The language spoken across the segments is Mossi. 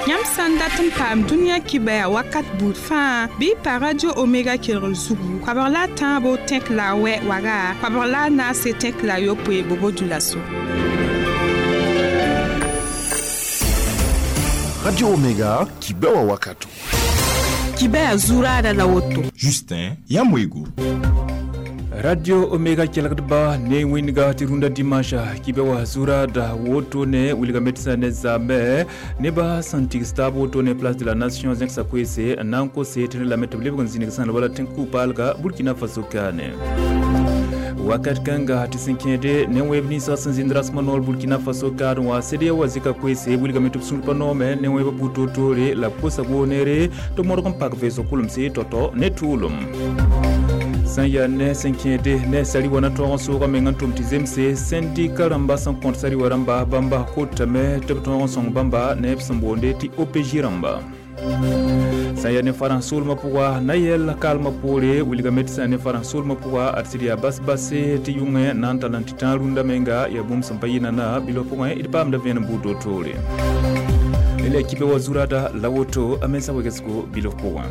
Yãmb sã n dat n paam dũniyã kibɛa wakat buud fãa bɩ y pa Radio Omega kelgr zugu koabg la a tãabo tẽk la a wɛ waga koabg la a naase tẽk la a yopoe bobo dulaso. Radio Omega, kibɛwa wakato. Kibɛa zuraada la woto. Justin Yamwego. Radio Omega kelgdba ne wẽndga tɩ rũndã dimanche kibɛ wa zuraada woto ne wilgame tɩ sã ne zaame nebã sẽn tigs taab woto ne Place de la Nation zẽksa koeese n na n kose tɩ rẽ lame tɩ b lebg n zĩnig sãn wala tẽn-ku-paalga Burkina Faso kaane. Wakat kãnga tɩ sẽn kẽede ne wẽeb ninsã sẽn zĩnd rasmã noor Burkina Faso kaad wã CEDEAO wa zɩka koeese wilgame tɩ b sũur pa noome ne wẽebã buud toor-toore la b kosa woneere tɩ modg n pak veesg kʋlemse tao-tao ne tʋʋlem. Sẽn yaa ne sẽn kẽede ne sari wa na tõog n soogã meng n tʋm tɩ zemse sẽndika rãmba sẽn kõt sari wa rãmba bãmba kotame tɩ b tõog n sõng bãmba ne b sẽn boonde tɩ OPJ rãmba. Sẽn yaa ne farãns soolmã pʋga na yɛl kalmã poore wilgame tɩ sã ne farãns soolmã pʋga ad sɩd yaa bas-base tɩ yʋngẽ na n tall n tɩ tãag rũndã menga yaa bũmb sẽn pa yɩ nana bilf pʋgẽ d paamda vẽenem buud toor-toore. La kibe wa zurada la woto a mensã wegsgo bilf pʋgẽ.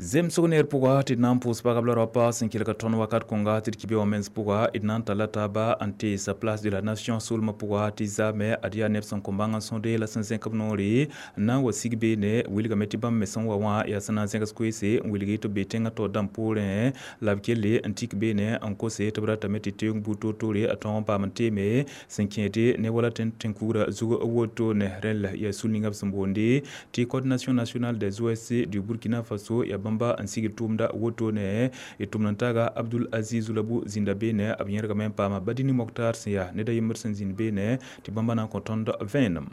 Zemsg neer pʋga tɩ d na n pʋʋs pagb la raopa sẽn kelg tõnd wakat kõnga tɩ d kibe wã mens pʋga d na n talla taaba n teesa Place de la Nation soolmã pʋga tɩ zaame ad yaa neb sẽn kõ bãng n sõde la sẽn zẽk b noore n na n wa sig beene wilgame tɩ bãmb me sẽn wa wã yaa sẽn na n zẽgs koeese n wilg tɩ b be tẽngã taoor dãmb poorẽ la b kelle n tik beene n kose tɩ b ratame tɩ teoong buud toor-toore a tõog n paam n teeme sẽn kẽede ne wala tẽn-kugrã zug woto ne rẽl yaa sul ninga b sẽn boonde tɩ Coordination nationale des OSC du Burkina Faso yaa bãmba n sigd tʋʋmda woto ne y tʋmd n taaga Abdul Aziz Labu zĩnda beene b yẽrgame n paama Badini Moktar sẽn yaa ned a yembr sẽn zĩnd beene tɩ bãmba na n kõ tõnd vẽenem.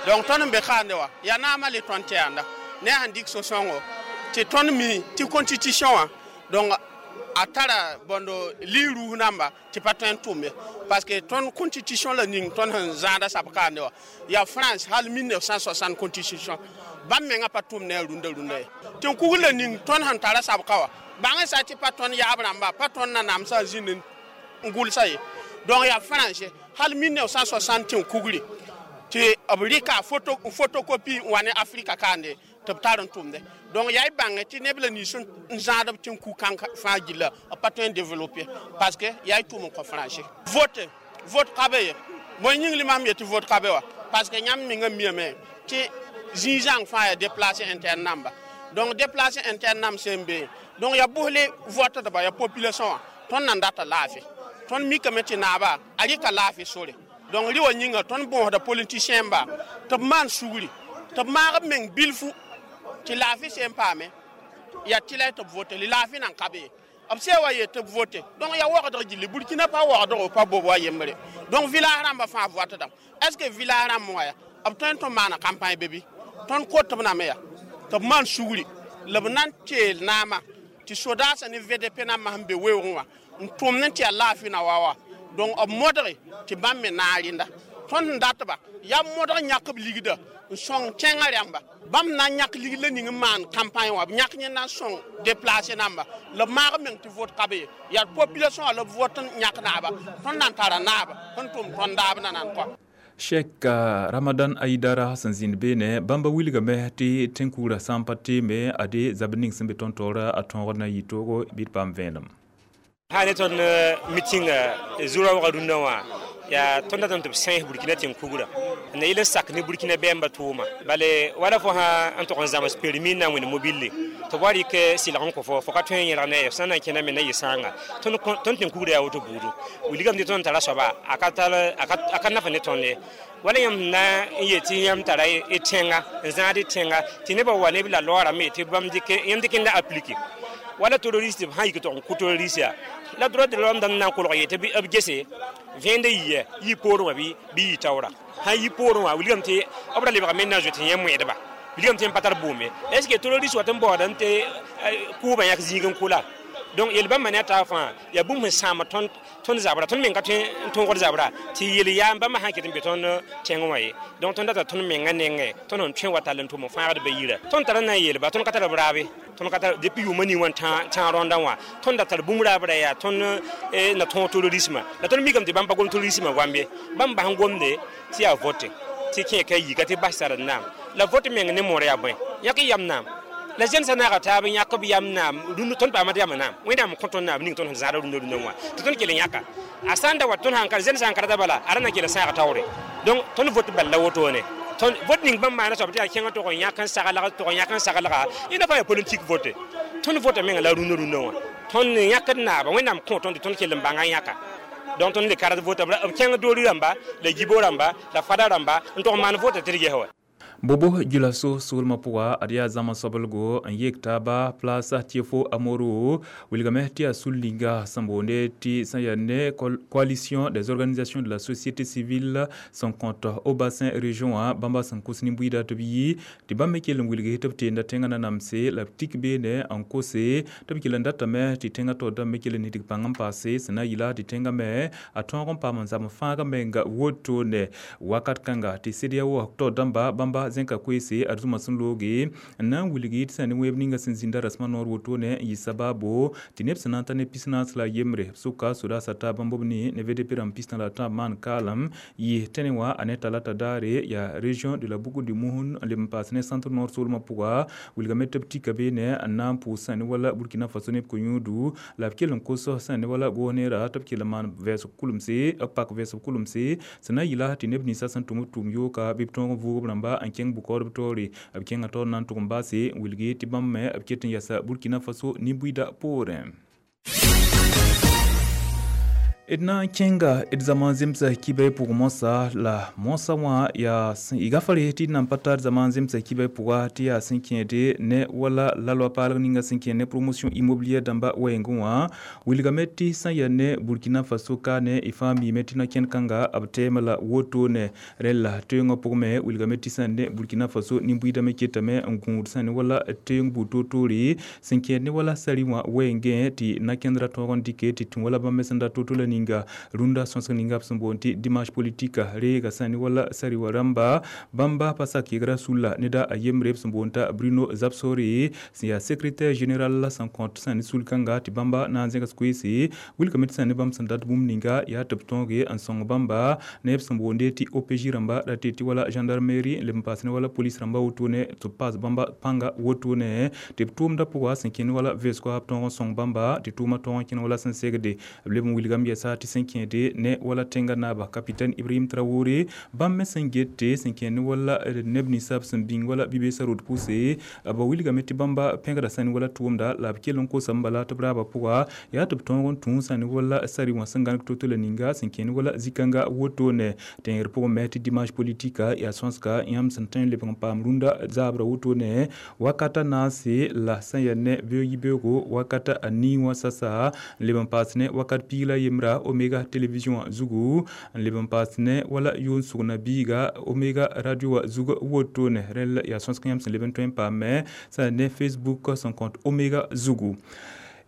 Donc tõnd n be kaande wã yaa naamã le tõnd tɩ yãanda ne a sẽn dɩk so-sõngo tɩ tõnd mi tɩ constitution wã donc a tara bõndo li-rus namba tɩ pa tõe n tʋm ye parce que tõnd constitution la ning tõnd sẽn zãada sab kaande wã yaa France hal 1960 constitution bãmb mengã pa tʋm ne a rũndã rũndã ye tɩ n kugr la ning tõnd sẽn tara sab ka wã bãng sã tɩ pa tõnd yaab rãmba pa tõnd nanamsã zĩnd n gʋlsa ye donc yaa français hal 1960 tɩ n kugre tɩ b rɩka photocopie n wa ne Afrika kaande tɩ b tar n tʋmde donc yaa y bãnge tɩ neb la nins n zãadb tɩ n ku kãng fãa gilla b pa tõe n développer parce que yaa y tʋm n kõ français vote ka be ye bõe yĩng limam ye tɩ vote ka be wa parce que yãmb mengã miame tɩ zĩig-zãng fãa yaa déplacé interne namba donc déplacé interne nam sẽn be donc yaa bʋsle votdba yaa population wã tõnd nan data laafɩ tõnd mikame tɩ naaba a rɩka laafɩ sore donc rɩ wa yĩnga tõnd bõosda politicien ba tɩ b maan sugri tɩ b maag b meng bilfu tɩ laafɩ sẽn paame yaa tɩ la tɩ b vote laafɩ nan ka be ye b sã wa yet tɩ b vote donc yaa waoogdg gilli Burkina pa waoogdgo pa bob wa yembre donc village rãmbã fãa votdame est ce que village rãmb wã ya b tõe n tɩ maana campagne be bɩ tõnd kot b name ya tɩ b maan sugri la b na n teel naamã tɩ sodaasã ne VDP nambã sẽn be weoogẽ wã n tʋmd n tɩ yaa laafɩ na wa wa donc b modge tɩ bãmb me naag rẽnda tõnd sẽn datba yaa modg yãk b ligda n sõng tẽngã rãmba bãmb na n yãk ligd la ning n maan campagne wã b yãk yẽnda n sõng déplacé namba la b maag b meng tɩ vote ka be ye yaa population wã la b vote n yãk naaba tõnd na n tara naaba sẽn tʋm tõnd daab na nan kɔa. Sheikh Ramadan Aidara sẽn zĩnd beene bãmba wilgame tɩ tẽn-kugrã sã n pa teeme ade zab ning sẽn be tõnd taoora a tõogd na n yɩ toogo bɩ d paam vẽenem. Sã ne tõnd meeting zurã wag rũndã wã yaa tõnd datame tɩ b sãens Burkina tẽn-kugrã n na yɩl n sak ne Burkina bɛɛmbã tʋʋma bale wala fo sã n tog n zãms permis n na n wẽnd mobile tɩ b wa rɩk sɩlg n kõ fo ka tõe n yẽlg ne ye f sã n na n kẽna me na yɩ sãanga tõnd tẽn-kugrã yaa woto buudu wilgame tɩ tõnd tara soaba a ka naf ne tõnd ye wala yãmb na n yet tɩ yãmb tara y tẽnga n zãad y tẽnga tɩ nebã wa neb la loorame tɩ bãmb yãmb dɩk n la aplike wala terroriste b sã n yik tɩ n kʋ terroriste ya la droit de l'homme dãmb na n kolg ye tɩ b gese vẽende yɩ yɩ poorẽ wã bɩ yɩ taoora sã n yi poorẽ wã wilgame tɩ b ra lebgame n na n zoet yẽ moẽdba wilgame tɩ n pa tar bʋʋm ye est ce que terroriste wat n baood n tɩ kʋʋbã yãk zĩig n kʋ la Donc yel bãmba ne a taab fãa yaa bũmb sẽn sãama tõnd zabra, tõnd meng ka tõe n tõogd zabra tɩ yel yaa bãmba sã n ket n be tõnd tẽngẽ wã ye. Donc tõnd data tõnd mengã nengẽ, tõnd sẽn tõe wa tall n tʋm n fãagd ba yira. Tõnd tara na n yeelba, tõnd ka tar b raabe, tõnd ka tar depuis yʋʋmã ning wã n tã rõndã wã, tõnd da tar bũmb raabra yaa tõnd na tõog terrorismã. La tõnd mikame tɩ bãmb pa gom terrorismã goam ye, bãmb bas n gomde tɩ yaa vote tɩ kẽ ka yika tɩ bas sar n naam. La vote meng ne moor yaa bõe? Yãk y yam naam. La zẽn sã naaga taab n yãk b yam naam, rũndã tõnd paama tɩ yam naam. Wẽnnaam n kõ tõnd naam ning tõnd sẽn zãada rũndã rũndã wã tɩ tõnd kell n yãka. A sã n da wa tõnd sãn ka zẽn sã n ka rata bala, a ra na kell n sãaga taoore. Donc tõnd vote bal la wotone. Tõnd vote ning bãmb maana soab tɩ yaa kẽngã tʋg n yãk n saglg, tʋg n yãk n saglga, yẽnda fãa yaa politik vote. Tõnd vota menga la rũndã rũndã wã. Tõnd yãkd naaba, Wẽnnaam kõ tõnd tɩ tõnd kell n bãnga yãka. Donc tõnd le kard vota b kẽng doori rãmba, la yibo rãmba, la fada rãmba n tʋg n maan vota tɩ d ges wa. Bobo Dioulasso soolmã pʋga ad yaa zãma soablgo n yek taaba place Tiefo Amoro, wilgame tɩ yaa sul-ninga sẽn boonde tɩ sẽn yaa ne Coalition des organisations de la société civile sẽn kõt au bassin région wã, bãmba sẽn kos nin-buiida tɩ b yi tɩ bãmb me kell n wilg tɩ b teenda tẽngã nanamse la b tik beene n kose tɩ b kell n datame tɩ tẽngã taoor dãmb me kell n nidg pãng n paase sẽn na n yɩla tɩ tẽngã me a tõog n paam n zam fãagã menga wotone. Wakat kãnga tɩ CEDEAO taoor dãmba bãmba zẽka koeese ad zũma sẽn looge n na n wilgi tɩ sã ne wẽeb ninga sẽn zĩnda rasmã noor wotone n yɩ sabaabo tɩ neb sẽn na n ta ne 43 b sʋka sodaasã taab bãmb b ne VDP rãmb 43 maan kaalem yɩ tẽne wã a ne talata daare yaa région de la Boucle du Mouhoun n leb n paas ne Centre Nord soolmã pʋga. Wilgame tɩ b tika beene n na n pʋʋs sã ne wala Burkina Faso neb ko-yũudu la b kell n kos sã ne wala goosneera tɩ b kell n maan vɛɛsg kulemse, b pak vɛɛsg kulemse sẽn na n yɩla tɩ neb ninsã sẽn tʋm b tʋʋm yooka bɩ b tõog n vʋʋg b rãmba n kẽng bʋkaood b taoore. B kẽngã taoor na n tʋg n baase n wilgi tɩ bãmb me b ket n yasa Burkina Faso nin-buiida poorẽ. D na n kẽnga d zãma zemsa kibɛ pʋg moasã, la moasã wã yaa y gafare tɩ d nan pa tar zãma zemsa kibɛ pʋga tɩ yaa sẽn kẽede ne wala la loi paalg ninga sẽn kẽ ne promotion immobilière dãmba wɛɛngẽ wã. Wilgame tɩ sã n yaa ne Burkina Faso ka ne y fãa miime tɩ na-kẽnd kãnga b tɛɛmã la wotone. Rẽla toeengã pʋgẽ me wilgame tɩ sã n ne Burkina Faso nin-buiidã me ketame n gũud sã ne wala teeng buud toor-toore sẽn kẽed ne wala sari wã wɛɛngẽ tɩ na-kẽnd ra tõog n dɩke tɩ tũ wala bãmb me sẽn da to-to la ninga rũndã sõsg ninga b sẽn boond tɩ dimanche politique reega sã ne wala sari wã rãmba bãmba pa sak yegra sulla neda a yembre b sẽn boond t'a Bruno Zabsore sẽn yaa secrétaire général sẽn kõt sã ne sul-kãnga tɩ bãmba na n zẽgs koeese. Wilgame tɩ sã ne bãmb sẽn dat bũmb ninga yaa tɩ b tõoge n sõng bãmba ne b sẽn boonde tɩ OPJ rãmba ra tɩ wala gendarmerie n leb n paas ne wala police rãmba wotone tɩ b paas bãmba pãnga wotone tɩ b tʋʋmdã pʋga sẽn kẽnd wala vɛɛsgo b tõog n sõng bãmba tɩ tʋʋmã tõog n kẽnd wala sẽn segde. B leb n wilgame yɛsa tɩ sẽn kẽede ne wala tẽngã naaba capitaine Ibrahim Traoré bãmb me sẽn gete sẽn kẽnd ne wala neb ninsã b sẽn bĩng wala bi-beesã rod pʋse b wilgame tɩ bãmba pẽgda sã ne wala tʋʋmda la b kell n kosame bala tɩ b raabã pʋga yaa tɩ b tõog n tũ sã ne wala sari wã sẽn gãneg to-to la ninga sẽn kẽnd wala zĩ-kãnga wotone. Tẽngr pʋgẽ me tɩ dimanche politique yaa sõsga yãmb sẽn tõe n lebg n paam rũndã zaabra wotone wakata naase la sẽn yaa ne beoog yibeoogo wakata a nii wã sasa n leb n paas ne wakat piig la yembra Omega télévision wã zugu n leb n paas ne wala yʋʋn sugna biiga Omega radio wã zug wotone. Rẽl yaa sõsg yãmb sẽn leb n tõe n paame sã ne Facebook sẽn kõt Omega zugu.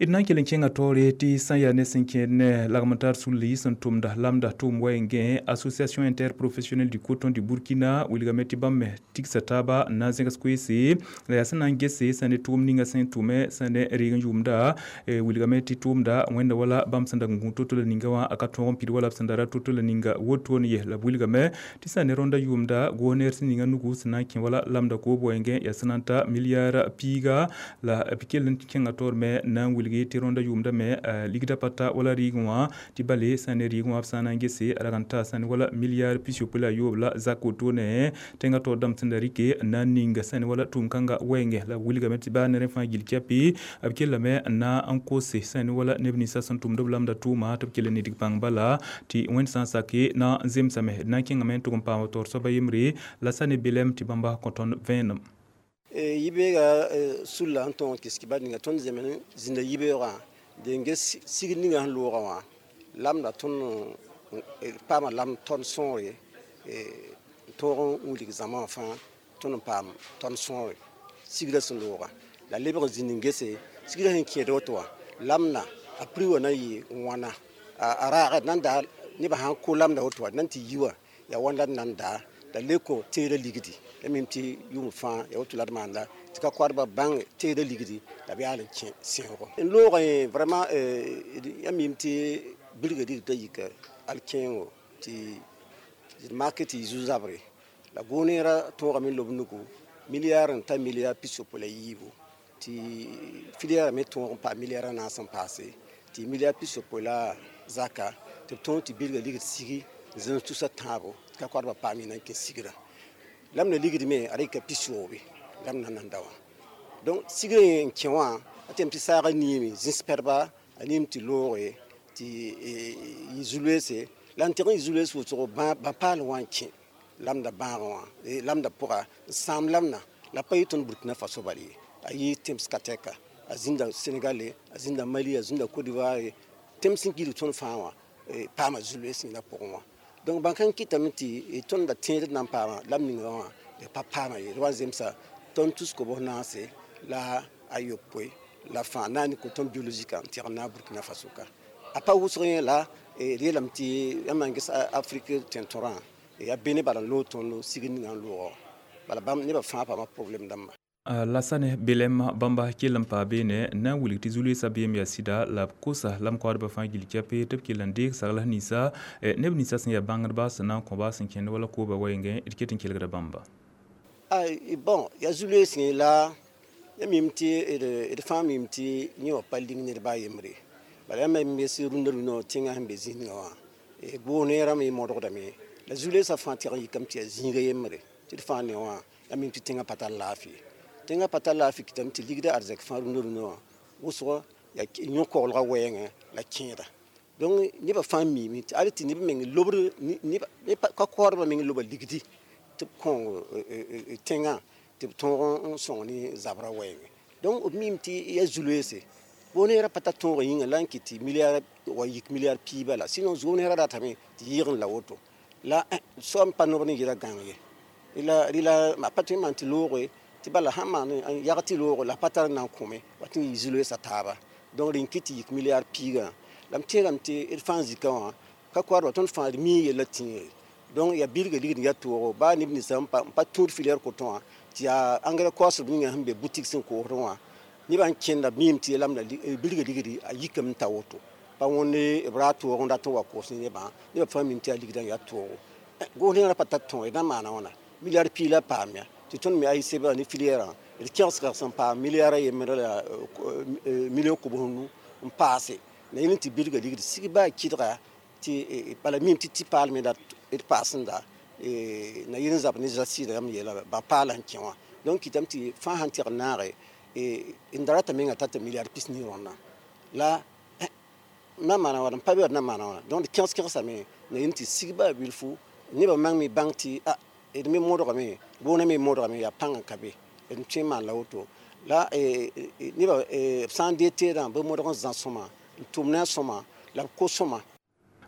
D na n kell n kẽngã taoore tɩ sã n yaa ne sẽn kẽed ne lagm n tar sulli sẽn tʋmda lamda tʋʋm wɛɛngẽ Association interprofessionnelle du coton du Burkina wilgame tɩ bãmb me tigsa taaba n na n zẽgs koeese la yaa sẽn na n gese sã ne tʋʋm ninga sẽn tʋme sã ne reeg n yʋʋmda wilgame tɩ tʋʋmda wẽnda wala bãmb sẽn dag n gũ to-to la ninga wã a ka tõog n pid wala b sẽn da ra to-to la ninga wotone ye. La b wilgame tɩ sã ne rõndã yʋʋmda goosneer sẽn ninga nugu sẽn na n kẽ wala lamda koob wɛɛngẽ yaa sẽn na n ta milliard piiga la b kell n kẽngã taoor me na n wilg tɩ rõndã yʋʋmda me ligda pa ta wala rɩɩgẽ wã tɩ bale sã ne rɩɩgẽ wã b sã n na n gese a rag n taa sã ne wala milliard 68 la zak wotone. Tẽngã taoor dãmb sẽn da rɩke n na n ninga sã ne wala tʋʋm-kãngã wɛɛngẽ la b wilgame tɩ baa ne rẽ fãa gill kɛpɩ b kellame n na n kose sã ne wala neb ninsã sẽn tʋmd b lamda tʋʋma tɩ b kell n nidg pãng bala tɩ wẽnd sã n sake na n zemsame. D na n kẽngame n tʋg n paam taoor soaba yembre la sã ne belem tɩ bãmba kõ tõnd vẽenem. Yibeoogã sulla sẽn tõog n kɩs kibar ninga tõnd zems zĩnda yibeoogã de n ges sigd ninga sẽn loogã wã lamda tõnd paama lam tõnd sõore n tõog n wilg zãma wã fãa tõnd n paam tõnd sõore sigrã sẽn loogã la lebg n zĩnd n gese sigrã sẽn kẽed woto wã Lamna a prix wã na yɩ wãna a raagd nan daa nebã sãn ko lamda woto wa nan tɩ yi wã yaa wãn la d nan daa la le kõ teedã ligdi ya mim tɩ yʋʋm fãa ya woto la d maanda tɩ ka koadbã bãng teedã ligdi la b yaal n kẽ sẽogo n loogẽ vraiment ya mim tɩ bilga ligdã yika al-kẽengo tɩ d mak tɩ yɩ zu-zabre la goneerã tõogame lob nugu milliard n ta milliard 64 tɩ filière me tõog n paam milliard a naas n paase tɩ milliard 60 la zaka tɩ b tõog tɩ bilga ligd sigi n zãms tusa tãabo tɩ ka koadbã paam yẽna n kẽ sigrã lam na ligd me a rɩka 70 lam na nan da wã donc sigrã n kẽ wã a tɩ tɩ saagã niime zĩs pɛdba a niim tɩ looge tɩ yɩ zu-loeese la n tɩg n yɩ zu-loees wʋsgo bã-paal wã n kẽ lamda bãagã wã lamda pʋga n sãam lamna la pa yɩ tõnd Burkina Faso bal ye a yɩ tẽms ka tɛka a zĩnda Senegal a zĩnda Mali a zĩnda Côte d'Ivoire tẽms sẽn gilg tõnd fãa wã paama zu-loees yẽnda pʋgẽ wã donc bãn-kãng kɩtame tɩ tõnd da tẽed nan paama lam ninga wã d pa paama ye d wa n zemsa tõnd tus kobs naase la a yopoe la fãa na n coton biologique n tɩg n naag Burkina Faso ka a pa wʋsg yẽ la d yeelame tɩ yãmb n ges Afrique tẽn-tõrã yaa bene bala n loog tõnd sigd ninga n loogã bala bãmb nebã fãa paama problème dãmba. Lasane belem bãmba kell n paa beene na n wilg tɩ zu-loeesã beem yaa sɩda la b kosa lam koadbã fãa gill kɛpe tɩ b kell n deeg sagls ninsã neb ninsã sẽn yaa bãngdba sẽn na n kõ-ba sẽn kẽnd wala kooba wɛɛngẽ d ket n kelgda bãmba. Bon, yaa zu-loees la ya mim tɩ d fãa mim tɩ yẽ wã pa ling ned baa yembre bala yãmb me sɩ rũndã rũndã tẽngã sẽn be zĩnigã wã goog-neerã me modgdame la zu-loeesã fãa tɩg n yikame tɩ yaa zĩiga yembre tɩ d fãa ne wã ya mim tɩ tẽngã pa tar laafɩ tẽngã pa tar laafɩ kɩtame tɩ ligdã arzɛk fãa rũndã rũndã wã wʋsg yaa yõ-koglgã wɛɛngẽ la kẽeda donc nebã fãa miime tɩ al tɩ neb meng lobr ka koadbã meng loba ligdi tɩ b kõ tẽngã tɩ b tõog n sõng ne zabrã wɛɛngẽ donc b miime tɩ yaa zu-loeese goog-neerã pa tar tõogã yĩnga la n kɩt tɩ milliard wa yik milliard piig bala sinon goog-neerã ratame tɩ yɩɩg n la woto la soab n pa noog ne yɛla gãng ye rɩla a pa tõe n maan tɩ looge tɩ bala sãn maan n yag tɩ loogo la pa tar n na n kõme wa tɩ n yɩ zu-loeesã taaba donc rẽn kɩt tɩ yik milliard piigã la m tẽegame tɩ d fãa zikã wã ka koadba tõnd fãa d mii yellã tĩige donc yaa bilga ligd n yaa toogo baa neb ninsã n pa tũud filière coton wã tɩ yaa engrais koasb ninga sẽn be boutique sẽn koosdẽ wã nebã n kẽnda b miime tɩ lamda bilga ligdi a yikame n ta woto pa wõnde b raa toog n dat n wa koos ne nebã nebã fãa miime tɩ yaa ligdã n yaa toogo goos-neerã pa tar tõog d na n maana wãna milliard piig la paam ya tɩ tõnd me AICB ne filière d kẽgsga sẽn paam milliard a yembre la million kobs nu n paase la yẽl tɩ bilga ligd sig baa kɩdga tɩ bala miime tɩ tɩ paal me d paasenda na yel n zab ne zasɩɩda yãmb yeela bã paala n kẽ wã donc kɩtame tɩ fãa sãn tɩg n naage n da rata menga tata milliard 40 rõndã la na maana wãna n pa be na maana wãna donc d kẽgs kẽgsame na yel tɩ sig baa bilfu nebã mang me bãng tɩ a d me modgame goonã me modgame yaa pãng n ka be d tõe n maan la woto la nebã b sã n dee teedã bɩ modg n zã sõma n tʋm ne a sõma la b ko sõma.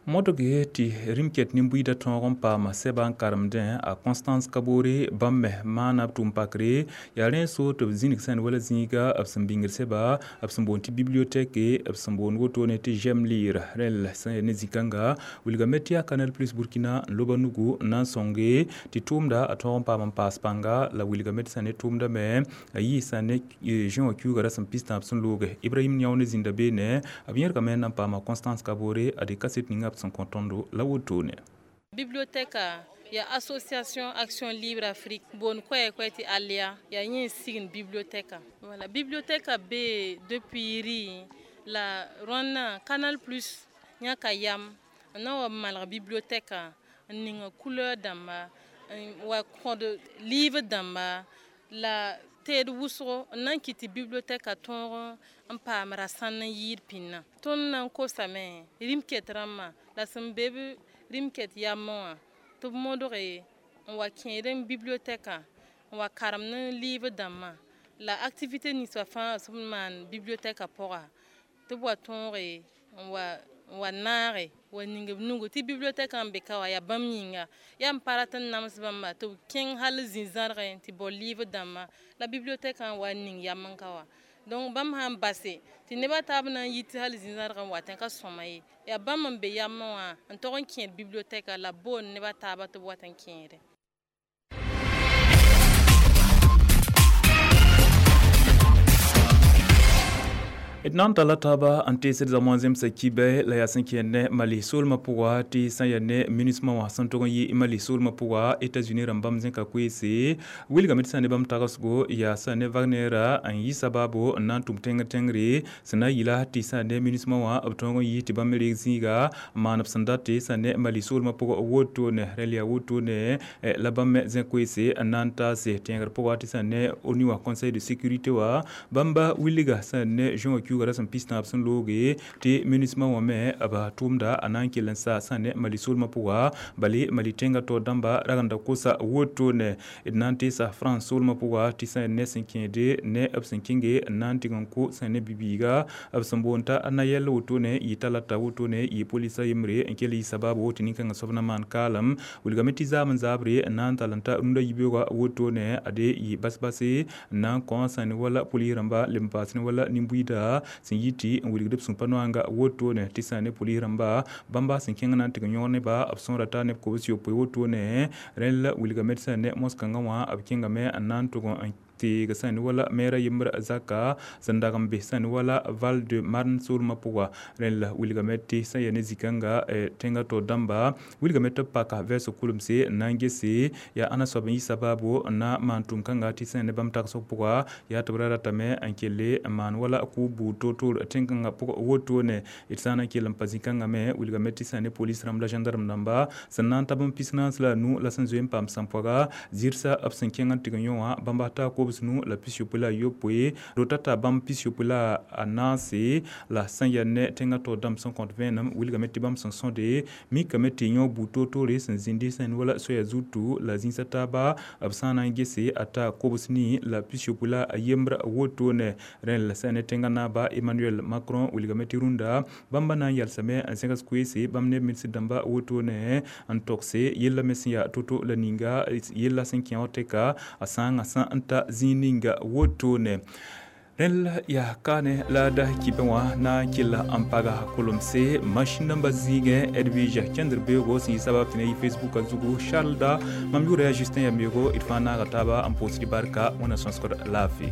Modge tɩ rĩm-ket nin-buiidã tõog n paama sɛba n karemdẽ a Constance Kabore bãmb me maana b tʋʋm pakre yaa rẽ so tɩ b zĩnig sẽnd wala zĩiga b sẽn bĩngd sɛba b sẽn boond tɩ bibliothèque b sẽn boond wotone tɩ j'aime lire rẽl sẽn ne zĩ-kãnga wilgame tɩ yaa Canal Plus Burkina n loba nugu n na n sõnge tɩ tʋʋmda a tõog n paam n paas pãnga la wilgame tɩ sã ne tʋʋmda me a yiisa ne zẽ wã kiuuga rasem pistãab sẽn looge Ibrahim Yao ne zĩnda beene b yẽrgame n na n paama Constance Kabore a de kaset ninga b sẽn kõ tõndo la wotone. Bibliothèque ya association Action Libre Afrique bon koɛ tɩ alia ya yẽ sign bibliothèque. Voilà, bibliothèque be depuis ri la rõnna Canal Plus yãka yam n na wa malg bibliothèque n ning couleur dãmba n wa kõd livre dãmba la teed wʋsgo n na n kɩt tɩ bibliothèque tõog n paam rasãn n yɩɩd pĩnnã. Tõnd na n kosame rĩm-ket rãmbã la sẽn be b rĩm-ket yamẽ wã tɩ b modge n wa kẽed n bibliothèque n wa karem ne livre dãmbã la activité ninsã fãa sẽn maan bibliothèque pʋga tɩ b wa tõoge n wa naage wa ning b nugu tɩ bibliothèque n be ka wã yaa bãmb yĩnga yaa n pa rat n nams bãmba tɩ b kẽng hal zĩ-zãrgẽ tɩ bao livre dãmbã la bibliothèque n wa ning yam n ka wã. Donc bãmb sã n base tɩ nebã taab na n yit tɩ hal zĩ-zãadg n watẽ ka sõma ye. Yaa bãmb n be yamẽ wã n tog n kẽed bibliotɛka la b boond nebã taaba tɩ b wat n kẽede. D na n talla taaba n teesd zãma wã zemsa kibɛ la yaa sẽn kẽer ne Mali soolmã pʋga tɩ sã n yaa ne MINUSMA wã sẽn tog n yɩ Mali soolmã pʋga Etats-Unis rãmb bãmb zẽka koeese wilgame tɩ sã n ne bãmb tagsgo yaa sã n ne Wagnera n yɩ sabaabo n na n tʋm tẽngr tẽngre sẽn na n yɩla tɩ sã n ne MINUSMA wã b tõog n yɩ tɩ bãmb me reeg zĩiga n maan b sẽn date sã n ne Mali soolmã pʋgã wotone rẽl yaa wotone la bãmb me zẽ koeese n na n taase tẽegr pʋga tɩ sã n ne ONU wã Conseil de sécurité wã bãmba wilga sã n ne juin wã kiuga ra sẽn pis-tãab sẽn looge tɩ MINUSMA wã me b tʋʋmda a na n kell n sa sã ne Mali soolmã pʋga bale Mali tẽngã taoor dãmba ragenda kosa wotone d na n teesa France soolmã pʋga tɩ sã ne sẽn kẽede ne b sẽn kẽnge n na n tɩg n kʋ sã ne bibiiga b sẽn boond t'a Nayel wotone yɩ talata wotone yɩ polisa yembre n kell yɩ sabaabo tɩ nin-kãngã soab na maan kaalem wilgame tɩ zaam n zaabre n na n tall n ta rũndã yibeoogã wotone ade yɩ bas-base n na n kõ sã ne wala polis rãmba leb n paas ne wala nin-buiida sẽn yɩ tɩ n wilgd b sũ-pa noanga wotone tɩ sã ne polis rãmba bãmba sẽn kẽng na n tɩg n yõg neba b sõora taa neb kobs-yopoe wotone rẽnd la wilgame tɩ sã ne mos-kãngã wã b kẽngame n na n tʋg n teeg sã ne wala mɛɛra yembr zaka sẽn dag n be sã ne wala Val de Marne soolmã pʋga rẽnd la wilgame tɩ sã n yaa ne zĩ-kãnga tẽngã taoor dãmba wilgame tɩ b paka vɛɛsg kulemse n na n gese yaa ãnna soab n yɩ sabaabo n na maan tʋʋm-kãnga tɩ sã n ne bãmb tagsg pʋga yaa tɩ b ra ratame n kelle n maan wala kʋʋb buud toor-toor tẽn-kãngã pʋg wotone d sã n na n kell n pa zĩ-kãngã me wilgame tɩ sã n ne polis rãmb la gendarme rãmba sẽn na n tab n pis-naas la a nu la sẽn zoe n paam sãmpoaga zɩrsa b sẽn kẽng n tɩg n yõ wã bãmba taa kobs nu la pis-yopoe la a yopoe rota t'a bãmb pis-yopoe la a naase la sã n yaa ne tẽngã taoor dãmb sẽn kõt vẽenem wilgame tɩ bãmb sẽn sõde mikame tɩ yõ buud toor-toore sẽn zĩndi sã n wala soaya zutu la zĩisa taaba b sã n na n gese a taa kobs nii la pis-yopoe la a yembr wotone rẽnd la sã n ne tẽngã naaba Emmanuel Macron wilgame tɩ rũndã bãmba na n yalsame n zẽgs koeese bãmb ne ministr dãmba wotone n togse yella me sẽn yaa to-to la ninga yella sẽn kẽ wã tɛka a sãangã sã n ta zĩig ninga wotone rẽnd yaa kaane la da kibẽ wã na n kell n paga kolemse machine namba zĩigẽ Edwige kẽndr beoogo sẽn yɩ sabab tɩ ne yɩ Facebook a zugu Charles da mam yʋʋra yaa Justin Yambeogo d fãa naaga taaba n pʋʋsd barka wẽnna sõsgd laafɩ.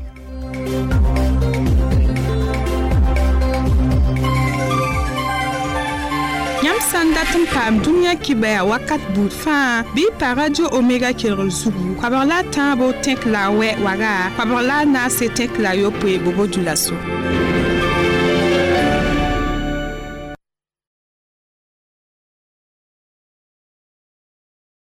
Yãmb sã n dat n paam dũniyã kibɛa wakat buud fãa bɩ y pa radio Omega kelgr zugu koabg la a tãabo tẽk la a wɛ waga koabg la a naase tẽk la a yopoe bobo dulaso.